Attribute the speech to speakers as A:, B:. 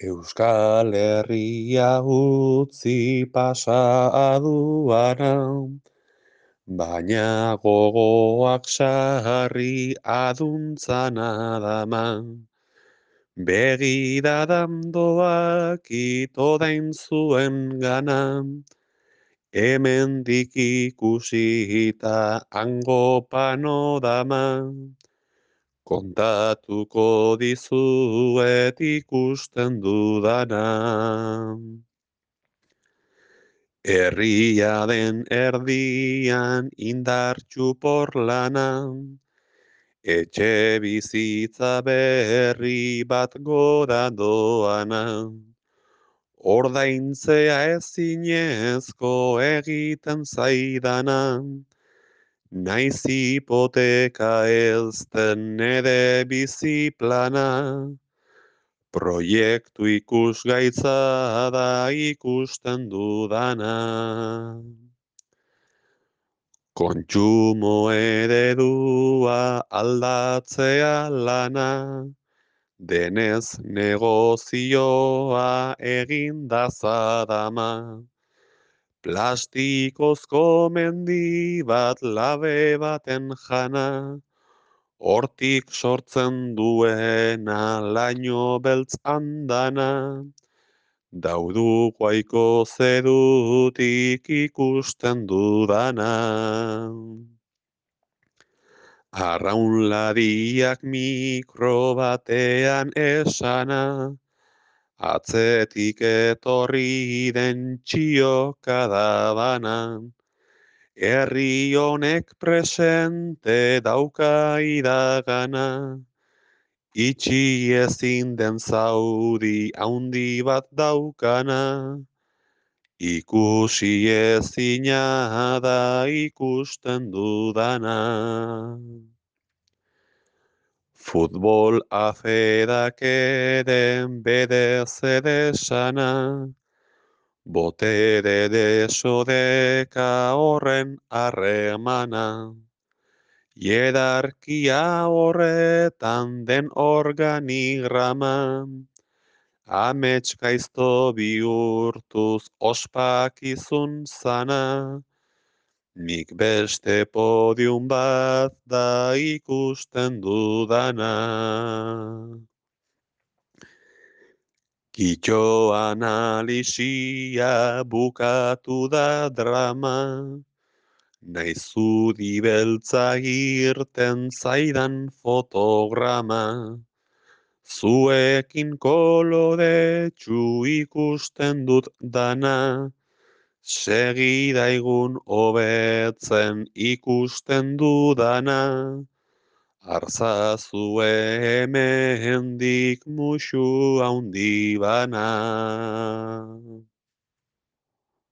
A: Euskal Herria utzi pasa aduana, baina gogoak sarri aduntzana dama. Begiradan doak ito dain zuen gana, hemendik ikusita hango panorama. Kontatuko dizuet ikusten dudana. Herria den erdian indartxu porlana, etxe bizitza berri bat gora doana. Ordaintzea ezinezko egiten zaidana, naiz hipoteka ez den nere biziplana. Proiektu ikusgaitza da ikusten dudana. Kontsumo eredua aldatzea lana, denez negozioa egin dazadama. Plastikozko mendi bat labe baten jana, hortik sortzen duena laino beltz andana, daudukoaiko zerutik ikusten dudana. Arraunlariak mikro batean esana, atzetik etorri den txioka da bana. Herri honek presente dauka iragana, itxi ezin den zauri haundi bat daukana, ikusi ezina da ikusten dudana. Futbol aferak eren bede zedesana, botere desodeka horren harremana. Hierarkia horretan den organigrama, amets gaizto bihurtuz ospakizun zana, nik beste podium bat da ikusten dudana. Kitxo analisia bukatu da drama, naiz zuri beltza irten zaidan fotograma. Zuekin koloretsu ikusten dut dana, segidaigun hobetzen ikusten dudana, artzazue hemendik musu haundi bana.